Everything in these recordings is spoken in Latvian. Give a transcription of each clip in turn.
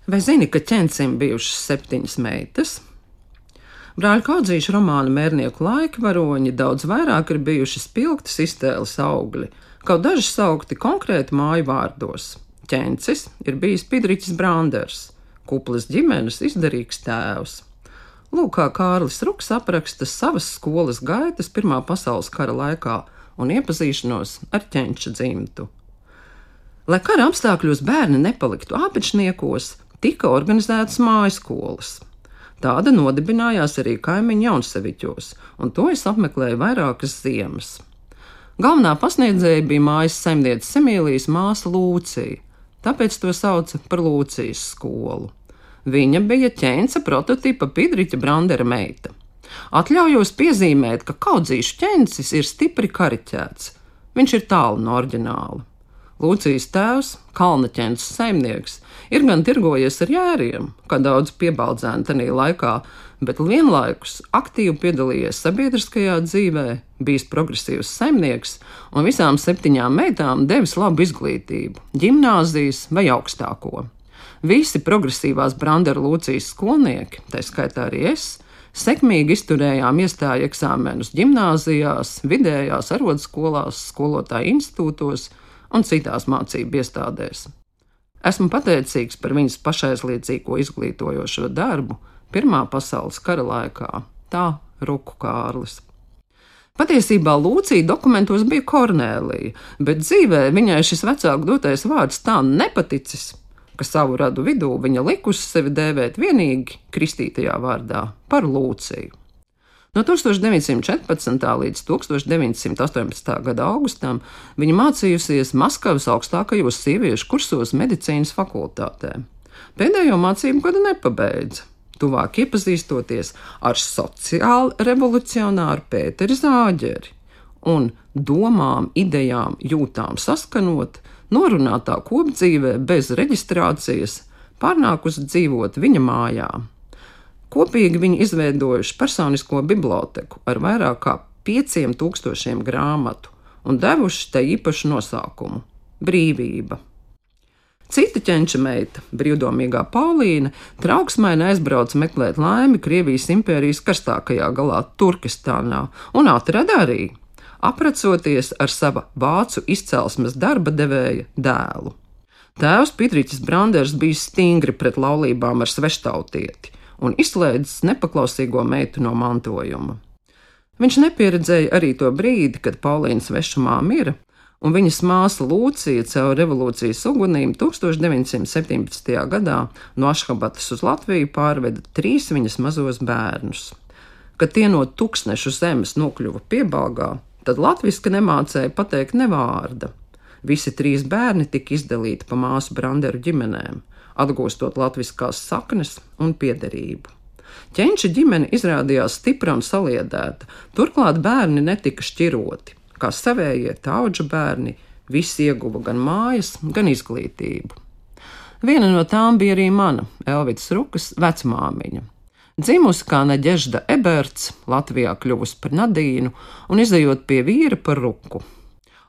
Vai zini, ka ķencim bijušas 7 meitas? Brāļu Kaudzīšu romāna Mērnieku laika varoņi daudz vairāk ir bijuši spilgtas iztēles augļi, kaut daži saukti konkrēti māju vārdos. Ķencis ir bijis Pidriķis Branders, kuplas ģimenes izdarīgs tēvs. Lūk, kā Kārlis Ruks apraksta savas skolas gaitas Pirmā pasaules kara laikā un iepazīšanos ar ķenča dzimtu. Lai kara apstākļos bērni nepaliktu āpečniekos, tika organizētas mājaskolas. Tāda nodibinājās arī kaimiņu Jaunseviķos, un to es apmeklēju vairākas ziemas. Galvenā pasniedzēja bija mājas saimnieces Emīlijas māsa Lūcija, tāpēc to sauca par Lūcijas skolu. Viņa bija ķenca prototipa Pidriķa Brandera meita. Atļaujos piezīmēt, ka Kaudzīšu ķencis ir stipri kariķēts. Viņš ir tālu no oriģināla. Lūcijas tēvs, kalna ķences saimnieks, ir gan tirgojies ar jēriem, kā daudz piebaldzēni tanī laikā, bet vienlaikus aktīvi piedalījies sabiedriskajā dzīvē, bijis progresīvs saimnieks un visām 7 meitām devis labu izglītību, ģimnāzijas vai augstāko. Visi progresīvās Brandera Lūcijas skolnieki, tā skaitā arī es, sekmīgi izturējām iestāju eksāmenus ģimnāzijās, vidējās arodskolās, skolotāju institūtos un citās mācību iestādēs. Esmu pateicīgs par viņas pašaizliedzīgo izglītojošo darbu Pirmā pasaules kara laikā, tā Ruku Kārlis. Patiesībā Lūcija dokumentos bija Kornēlija, bet dzīvē viņai šis vecāku dotais vārds tā nepaticis, ka savu radu vidū viņa likusi sevi dēvēt vienīgi kristītajā vārdā par Lūciju. No 1914. līdz 1918. gada augustam viņa mācījusies Maskavas augstākajos sieviešu kursos medicīnas fakultātē. Pēdējo mācību gadu nepabeidza, tuvāk iepazīstoties ar sociāli revolucionāru Pēteri Zāģeri un domām, idejām, jūtām saskanot, norunātā kopdzīvē bez reģistrācijas pārnākusi dzīvot viņa mājā. Kopīgi viņi izveidojuši personisko biblioteku ar vairāk kā 5000 grāmatu un devuši tai īpašu nosaukumu – Brīvība. Cita ķenča meita, brīvdomīgā Paulīna, trauksmaini aizbrauca meklēt laimi Krievijas impērijas karstākajā galā Turkestānā un atrada arī, aprecoties ar sava vācu izcelsmes darba devēja dēlu. Tēvs Pidriķis Branders bija stingri pret laulībām ar sveštautieti un izslēdzis nepaklausīgo meitu no mantojuma. Viņš nepieredzēja arī to brīdi, kad Paulīna svešumā mira, un viņas māsa Lūcija caur revolūcijas ugunīm 1917. gadā no Ašhabatas uz Latviju pārveda 3 viņas mazos bērnus. Kad tie no Tuksnešu zemes nokļuva Piebalgā, tad latviski nemācēja pateikt ne vārda. Visi 3 bērni tika izdalīti pa māsu Branderu ģimenēm, atgūstot latviskās saknes un piederību. Ķenča ģimene izrādījās stipra un saliedēta, turklāt bērni netika šķiroti, kā savējie tauģu bērni, visi ieguva gan mājas, gan izglītību. Viena no tām bija arī mana, Elvidas Rukas, vecmāmiņa. Dzimusi kā Naģežda Eberts, Latvijā kļuvusi par Nadīnu un izejot pie vīra par Ruku.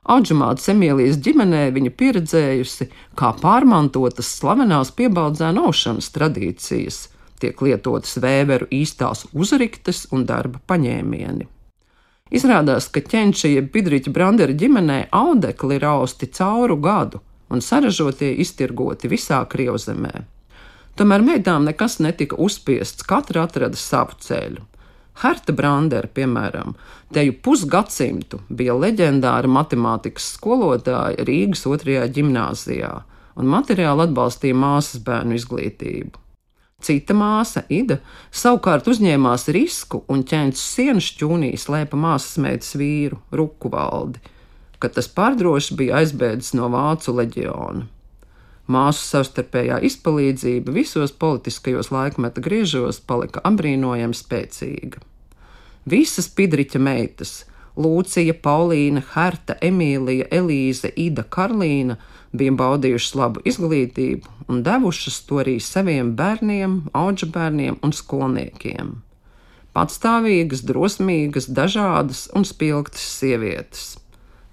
Audžumātes Emīlijas ģimenē viņa pieredzējusi, kā pārmantotas slavenās piebaldzēnu aušanas tradīcijas, tiek lietotas vēveru īstās uzriktes un darba paņēmieni. Izrādās, ka ķenča jeb Pidriķa Brandera ģimenē audekli ir austi cauru gadu un saražotie iztirgoti visā Krievzemē. Tomēr meitām nekas netika uzspiests, katra atrada savu ceļu. Herta Brandera, piemēram, teju pusgadsimtu bija leģendāra matemātikas skolotāja Rīgas 2. ģimnāzijā un materiāli atbalstīja māsas bērnu izglītību. Cita māsa, Ida, savukārt uzņēmās risku un ķenča sienas šķūnī slēpa māsas meitas vīru, Ruku Valdi, kad tas pārdroši bija aizbēdzis no vācu leģiona. Māsu savstarpējā izpalīdzība visos politiskajos laikmeta griežos palika apbrīnojami spēcīga. Visas Pidriķa meitas – Lūcija, Paulīna, Herta, Emīlija, Elīze, Ida, Karlīna – bija baudījušas labu izglītību un devušas to arī saviem bērniem, audžu bērniem un skolniekiem. Patstāvīgas, drosmīgas, dažādas un spilgtas sievietes.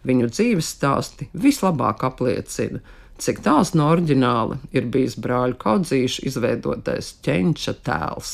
Viņu dzīves stāsti vislabāk apliecina, cik tāls no oriģināla ir bijis brāļu Kaudzīšu izveidotais ķenča tēls.